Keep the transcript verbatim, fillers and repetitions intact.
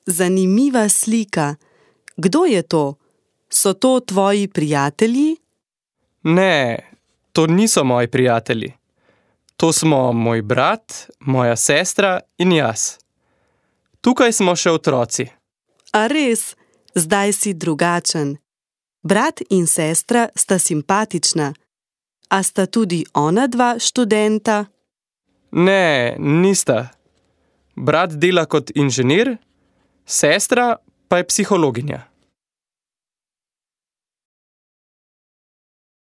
Zanimiva slika. Kdo je to? So to tvoji prijatelji? Ne, to niso moji prijatelji. To smo moj brat, moja sestra in jaz. Tukaj smo še otroci. A res, zdaj si drugačen. Brat in sestra sta simpatična. A sta tudi ona dva študenta? Ne, nista. Brat dela kot inženir, sestra pa je psihologinja.